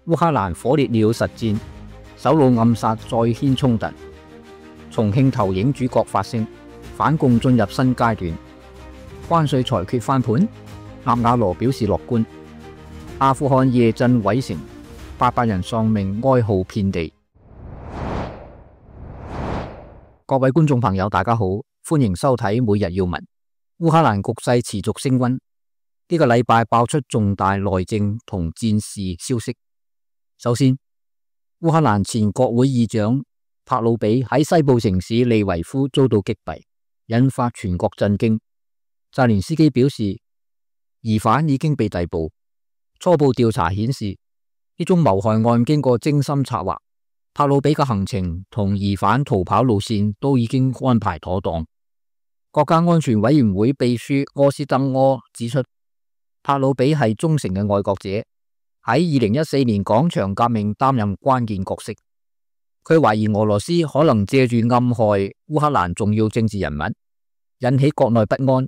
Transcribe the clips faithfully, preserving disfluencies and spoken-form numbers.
烏克蘭火烈鳥實戰，首腦暗殺再掀衝突。重慶投影主角發聲，反共進入新階段。關稅裁決翻盤，納瓦羅表示樂觀。阿富汗夜震毀城，八百人喪命，哀號遍地。各位觀眾朋友，大家好，歡迎收睇每日要聞。烏克蘭局勢持續升溫，呢、這個禮拜爆出重大內政同戰事消息。首先，烏克蘭前國會議長帕魯比喺西部城市利維夫遭到擊斃，引發全國震驚。澤連斯基表示，疑犯已經被逮捕。初步調查顯示，呢宗謀害案經過精心策劃，帕魯比嘅行程同疑犯逃跑路線都已經安排妥當。國家安全委員會秘書柯斯登柯指出，帕魯比係忠誠嘅愛國者，喺二零一四年廣場革命擔任關鍵角色。佢懷疑俄羅斯可能借住暗害烏克蘭重要政治人物，引起國內不安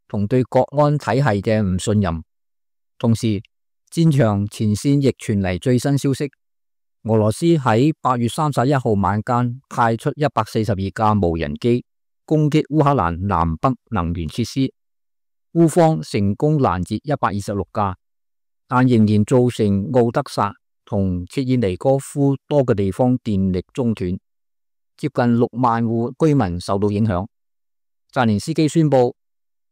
同對國安體系嘅唔信任。同時，戰場前線亦傳嚟最新消息，俄羅斯喺八月三十一號晚間派出一百四十二架無人機攻擊烏克蘭南北能源設施，烏方成功攔截一百二十六架，但仍然造成奧德薩同切爾尼戈夫多個地方電力中斷，接近六萬戶居民受到影響。澤連斯基宣布，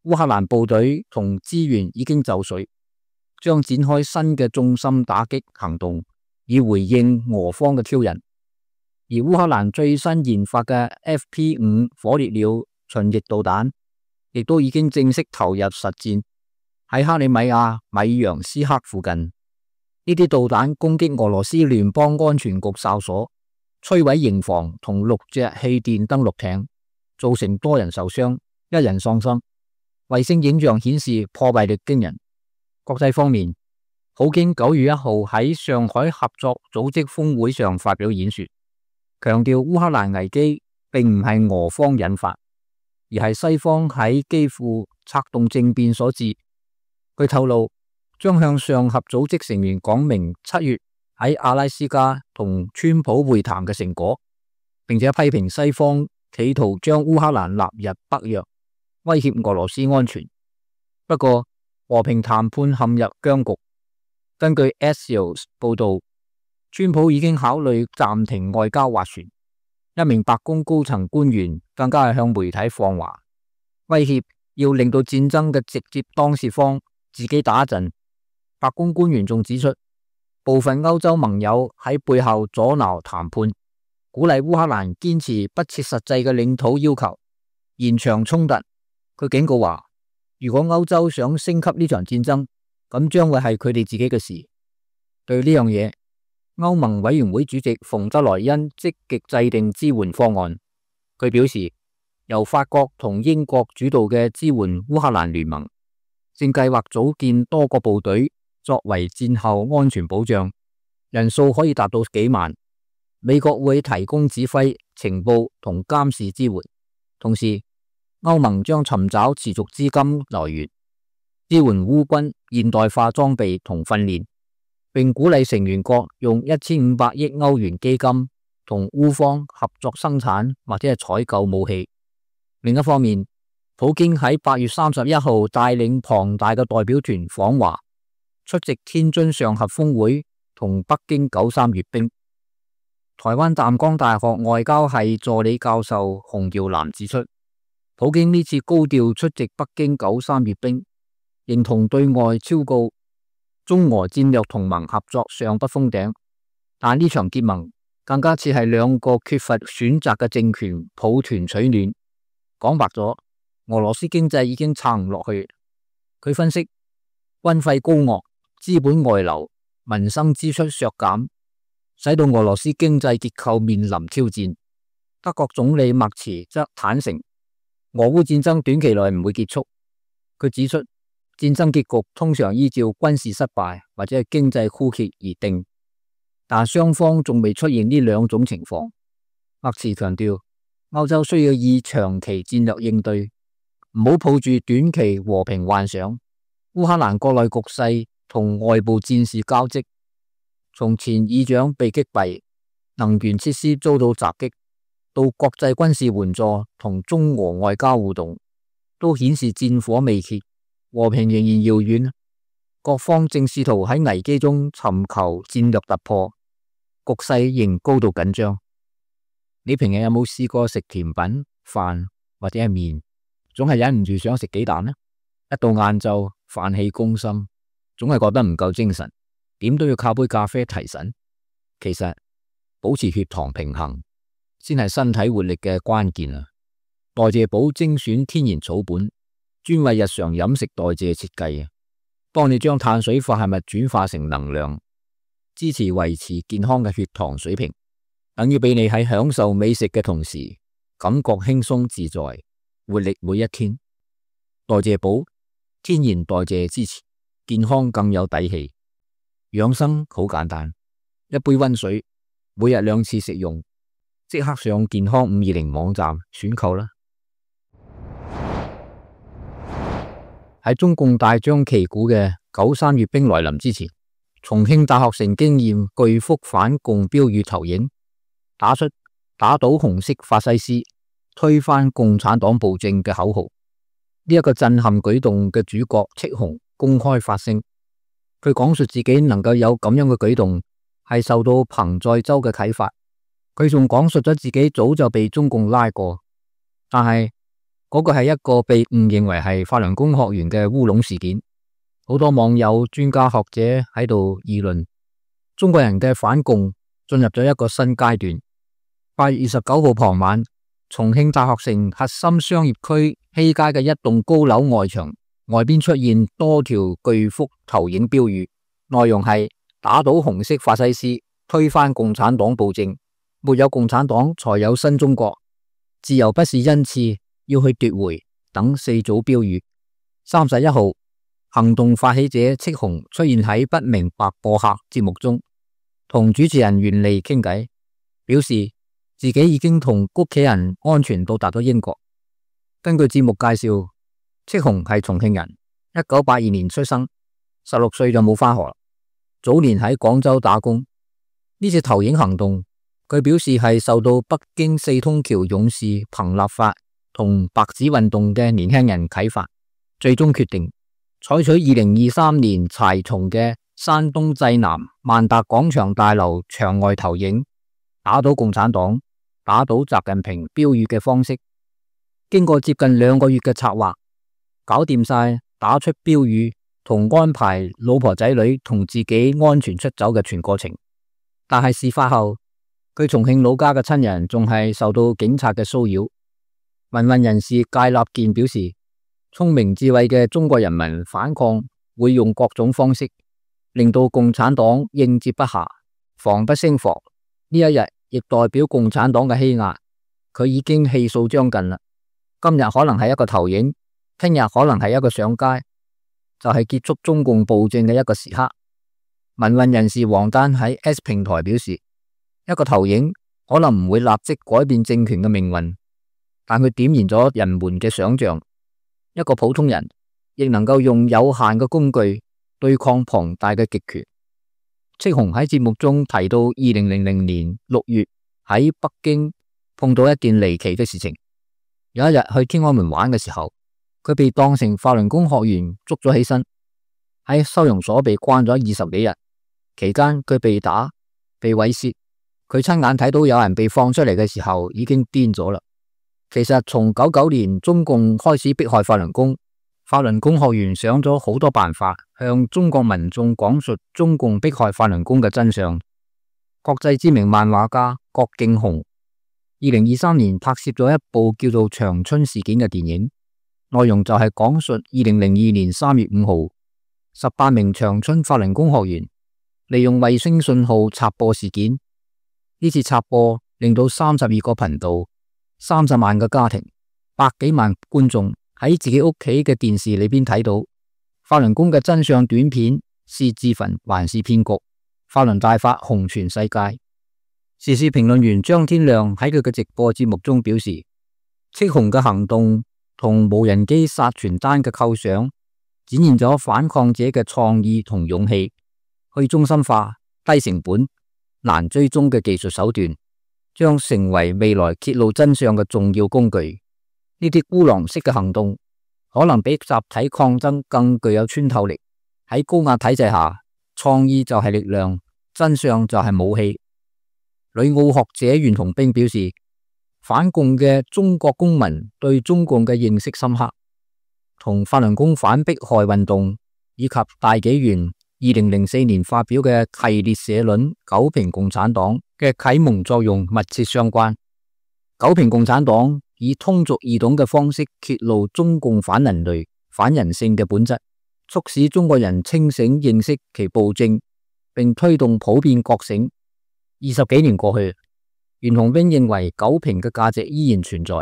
烏克蘭部隊同資源已經就緒，將展開新嘅重心打擊行動，以回應俄方嘅挑釁。而烏克蘭最新研發嘅 F P 五 火烈鳥巡弋導彈，亦都已經正式投入實戰，喺克里米亞米揚斯克附近。呢啲導彈攻擊俄羅斯聯邦安全局哨所，摧毀營房同六隻氣墊登陸艇，造成多人受傷，一人喪生。衛星影像顯示破壞力驚人。國際方面，普京九月一號喺上海合作組織峰會上發表演說，強調烏克蘭危機並唔係俄方引發，而係西方喺基輔策動政變所致。佢透露將向上合組織成員講明七月喺阿拉斯加同川普會談嘅成果，並且批評西方企圖將烏克蘭納入北約，威脅俄羅斯安全。不過，和平談判陷入僵局。根據 Axios 報道，川普已經考慮暫停外交斡旋。一名白宮高層官員更加係向媒體放話，威脅要令到戰爭嘅直接當事方自己打一陣。白宮官員仲指出，部分歐洲盟友喺背後阻撓談判，鼓勵烏克蘭堅持不切實際嘅領土要求，延長衝突。佢警告話，如果歐洲想升級呢場戰爭，咁將會係佢哋自己嘅事。對呢樣嘢，歐盟委員會主席馮德萊恩積極制定支援方案。佢表示，由法國同英國主導嘅支援烏克蘭聯盟，正計劃組建多個部隊作為戰後安全保障，人數可以達到幾萬。美國會提供指揮、情報同監視支援，同時歐盟將尋找持續資金來源，支援烏軍現代化裝備同訓練，並鼓勵成員國用一千五百億歐元基金同烏方合作生產或者係採購武器。另一方面，普京喺八月三十一號帶領龐大嘅代表團訪華，出席天津上合峰會同北京九三閱兵。台灣淡江大學外交系助理教授洪耀南指出，普京呢次高調出席北京九三閱兵，認同對外昭告中俄戰略同盟合作尚不封頂，但呢場結盟更加似係兩個缺乏選擇嘅政權抱團取暖。講白咗，俄羅斯經濟已經撐唔落去。佢分析，軍費高昂、資本外流、民生支出削減，使到俄羅斯經濟結構面臨挑戰。德國總理默茨則坦承，俄烏戰爭短期內唔會結束。佢指出，戰爭結局通常依照軍事失敗或者係經濟枯竭而定，但雙方仲未出現呢兩種情況。默茨強調，歐洲需要以長期戰略應對，唔好抱住短期和平幻想。烏克蘭國內局勢同外部戰事交織，從前議長被擊斃，能源設施遭到襲擊，到國際軍事援助同中俄外交互動，都顯示戰火未歇，和平仍然遙遠。各方正試圖喺危機中尋求戰略突破，局勢仍高度緊張。你平日有冇試過食甜品、飯或者係麵，總係忍唔住想食幾啖呢？一到晏晝，飯氣攻心，總係覺得唔夠精神，點都要靠杯咖啡提神。其實保持血糖平衡先係身體活力嘅關鍵啊！代謝寶精選天然草本，專為日常飲食代謝設計啊，幫你將碳水化合物轉化成能量，支持維持健康嘅血糖水平，等於俾你喺享受美食嘅同時，感覺輕鬆自在，活力每一天。代謝寶天然代謝支持，健康更有底氣。養生好簡單，一杯溫水，每日兩次食用，即刻上健康五二零網站選購啦！喺中共大張旗鼓嘅九三閱兵來臨之前，重慶大學城經驗巨幅反共標語投影，打出打倒紅色法西斯，推翻共產黨暴政嘅口號。呢、這、一個震撼舉動嘅主角戚紅公開發聲，佢講述自己能夠有咁樣嘅舉動係受到彭載舟嘅啟發。佢仲講述咗自己早就被中共拉過，但係嗰個係一個被誤認為係法輪功學員嘅烏龍事件。好多網友、專家學者喺度議論，中國人嘅反共進入咗一個新階段。八月二十九號傍晚，重慶大學城核心商業區西街嘅一棟高樓外牆外邊出現多條巨幅投影標語，內容係打倒紅色法西斯，推翻共產黨暴政，沒有共產黨才有新中國，自由不是恩賜，要去奪回等四組標語。三十一號，行動發起者戚紅出現喺不明白播客節目中，同主持人袁利傾偈，表示自己已經同屋企人安全到達咗英國。根據節目介紹，戚紅係重慶人，一九八二年出生，十六歲就冇返學，早年喺廣州打工。呢次投影行動，佢表示係受到北京四通橋勇士彭立發同白紙運動嘅年輕人啟發，最終決定採取二零二三年柴松嘅山東濟南萬達廣場大樓牆外投影，打倒共產黨、打倒習近平標語嘅方式。經過接近兩個月嘅策劃，搞掂晒打出標語同安排老婆仔女同自己安全出走嘅全過程。但係事發後，佢重慶老家嘅親人仲係受到警察嘅騷擾。民運人士戒立健表示，聰明智慧嘅中國人民反抗會用各種方式，令到共產黨應接不暇，防不勝防。呢一日亦代表共產黨嘅欺壓，佢已經氣數將近啦。今日可能係一個投影，聽日可能係一個上街，就係結束中共暴政嘅一個時刻。民運人士王丹喺 S 平台表示，一個投影可能唔會立即改變政權嘅命運，但佢點燃咗人們嘅想象。一個普通人亦能夠用有限嘅工具對抗龐大嘅極權。戚紅喺節目中提到，二零零零年六月喺北京碰到一件離奇嘅事情。有一日去天安門玩嘅時候，佢被當成法輪功學員捉咗起身，喺收容所被關咗二十幾日。期間佢被打、被猥褻，佢親眼睇到有人被放出嚟嘅時候已經癲咗啦。其實從九九年中共開始迫害法輪功，法輪功學員想咗好多辦法向中國民眾講述中共迫害法輪功嘅真相。國際知名漫畫家郭敬雄二零二三年拍攝咗一部叫做《長春事件》嘅電影，內容就係講述二零零二年三月五號，十八名長春法輪功學員利用衛星信號插播事件。呢次插播令到三十二個頻道、三十萬個家庭、百幾萬觀眾喺自己屋企嘅電視裏邊睇到法輪功嘅真相短片，是自焚還是騙局？法輪大法紅傳世界。時事評論員張天亮喺佢嘅直播節目中表示，戚紅嘅行動同無人機殺傳單嘅構想，展現咗反抗者嘅創意同勇氣。去中心化低成本、難追蹤嘅技術手段，將成為未來揭露真相嘅重要工具。呢啲孤狼式嘅行動，可能比集體抗爭更具有穿透力。喺高壓體制下，創意就係力量，真相就係武器。旅澳學者袁同兵表示，反共嘅中國公民對中共嘅認識深刻，同法輪功反迫害運動以及大紀元二零零四年發表嘅系列社論《九評共產黨》嘅啟蒙作用密切相關。九評共產黨以通俗易懂嘅方式揭露中共反人類、反人性嘅本質，促使中國人清醒認識其暴政，並推動普遍覺醒。二十幾年過去，袁同兵認為九評嘅價值依然存在，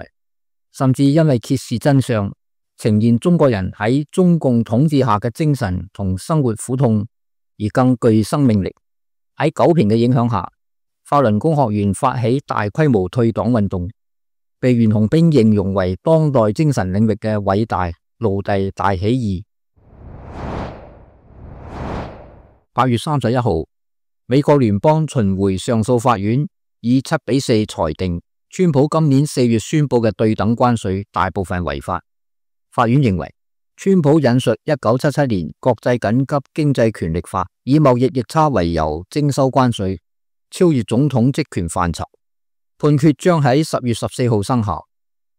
甚至因為揭示真相，呈現中國人喺中共統治下嘅精神同生活苦痛，而更具生命力。喺九評嘅影響下，法輪功學員發起大規模退黨運動，被袁同兵形容為當代精神領域嘅偉大奴隸大起義。八月三十一號，美國聯邦巡迴上訴法院以七比四裁定，川普今年四月宣布嘅對等關稅大部分違法。法院認為，川普引述一九七七年國際緊急經濟權力法，以貿易逆差為由徵收關稅，超越總統職權範疇。判決將喺十月十四號生效，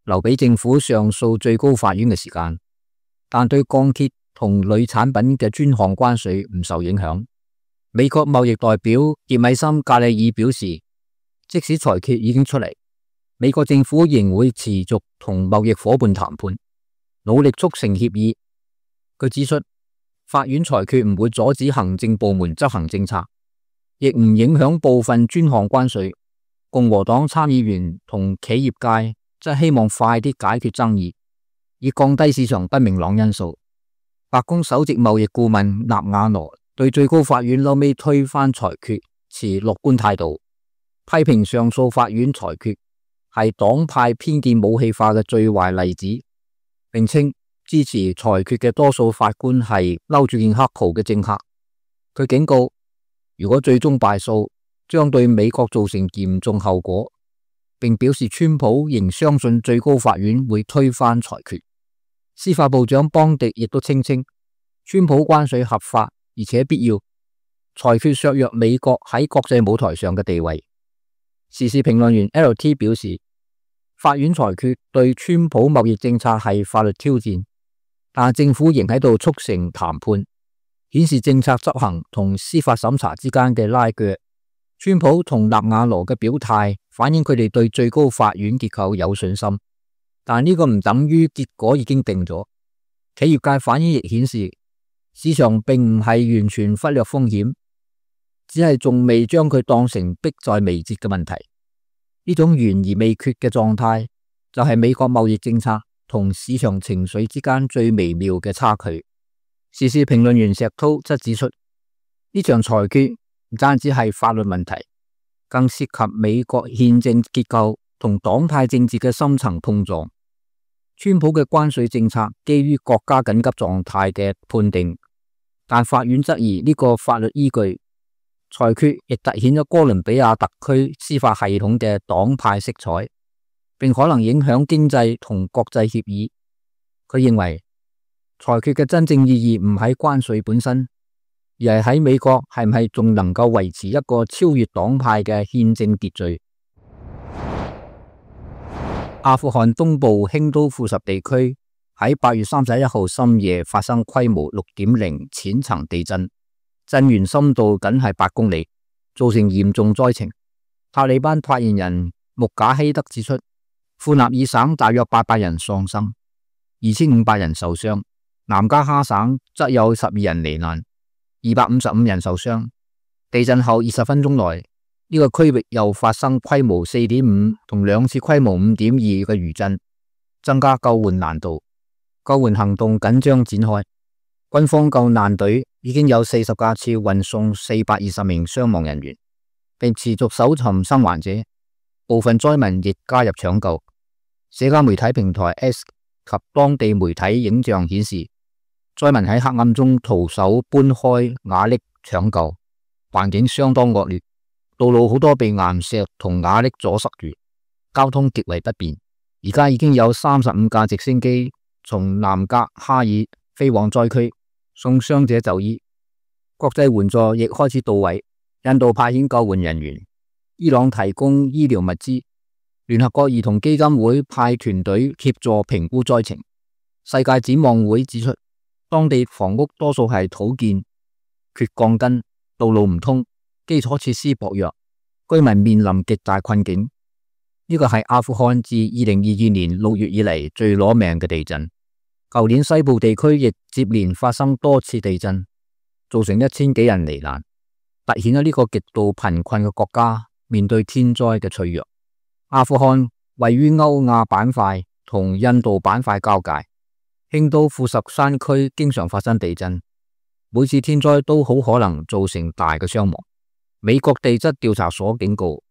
留俾政府上訴最高法院嘅時間，但對鋼鐵同鋁產品嘅專項關稅唔受影響。美國貿易代表傑米森·格里爾表示，即使裁決已經出嚟，美國政府仍會持續同貿易夥伴談判，努力促成協議。佢指出，法院裁決唔會阻止行政部門執行政策，亦唔影響部分專項關稅。共和黨參議員同企業界則希望快啲解決爭議，以降低市場不明朗因素。白宮首席貿易顧問納瓦羅對最高法院後尾推翻裁決持樂觀態度，批評上訴法院裁決係黨派偏見武器化嘅最壞例子，並稱支持裁決嘅多數法官係嬲住件黑袍嘅政客。佢警告，如果最終敗訴，將對美國造成嚴重後果，並表示川普仍相信最高法院會推翻裁決。司法部長邦迪亦都聲稱，川普關稅合法而且必要，裁決削弱美國喺國際舞台上嘅地位。時事評論員 L T 表示，法院裁決對川普貿易政策係法律挑戰，但政府仍喺度促成談判，顯示政策執行同司法審查之間嘅拉鋸。川普同納瓦羅嘅表態反映佢哋對最高法院結構有信心，但呢個唔等於結果已經定咗。企業界反應亦顯示，市場並唔係完全忽略風險，只係仲未將佢當成迫在眉睫嘅問題。呢種懸而未決嘅狀態，就係美國貿易政策同市場情緒之間最微妙嘅差距。時事評論員石濤則指出，呢場裁決唔單止係法律問題，更涉及美國憲政結構同黨派政治嘅深層碰撞。川普嘅關稅政策基於國家緊急狀態嘅判定，但法院質疑呢個法律依據。裁決亦凸顯咗哥倫比亞特區司法系統嘅黨派色彩，並可能影響經濟同國際協議。佢認為裁決嘅真正意義唔喺關稅本身，而係喺美國係唔係仲能夠維持一個超越黨派嘅憲政秩序。阿富汗東部興都庫什地區喺八月三十一號深夜發生規模六點零淺層地震，震源深度僅係八公里，造成嚴重災情。塔利班發言人穆賈希德指出，庫納爾省大約八百人喪生，二千五百人受傷，南加哈省則有十二人罹難，二百五十五人受傷。地震後二十分鐘內，呢、這個區域又發生規模四點五同兩次規模五點二嘅餘震，增加救援難度。救援行動緊張展開，軍方救難隊已經有四十架次運送四百二十名傷亡人員，並持續搜尋生還者。部分災民亦加入搶救。社交媒體平台 X 及當地媒體影像顯示，災民喺黑暗中徒手搬開瓦礫搶救，環境相當惡劣，道路好多被岩石同瓦礫阻塞住，交通極為不便。而家已經有三十五架直升機從南格哈爾飛往災區，送傷者就醫。國際援助亦開始到位，印度派遣救援人員，伊朗提供醫療物資，聯合國兒童基金會派團隊協助評估災情。世界展望會指出，當地房屋多數係土建，缺鋼筋，道路唔通，基礎設施薄弱，居民面臨極大困境。呢個係阿富汗自二零二二年六月以嚟最攞命嘅地震。舊年西部地區亦接連發生多次地震，造成一千幾人罹難，凸顯咗呢個極度貧困嘅國家面對天災嘅脆弱。阿富汗位於歐亞板塊同印度板塊交界，興都庫什山區經常發生地震，每次天災都好可能造成大嘅傷亡。美國地質調查所警告，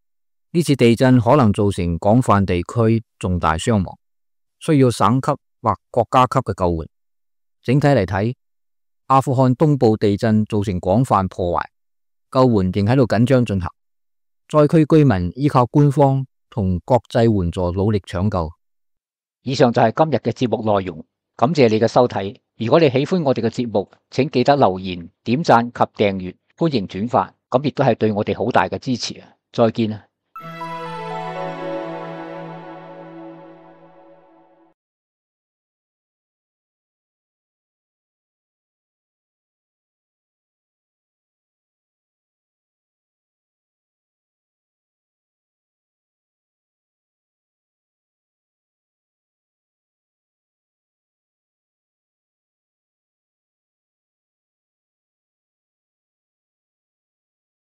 呢次地震可能造成廣泛地區重大傷亡，需要省級或國家級嘅救援。整體嚟睇，阿富汗東部地震造成廣泛破壞，救援仍喺度緊張進行。災區居民依靠官方同國際援助努力搶救。以上就係今日嘅節目內容，感謝你嘅收睇。如果你喜歡我哋嘅節目，請記得留言、點讚及訂閱，歡迎轉發，咁亦都係對我哋好大嘅支持啊！再見啊！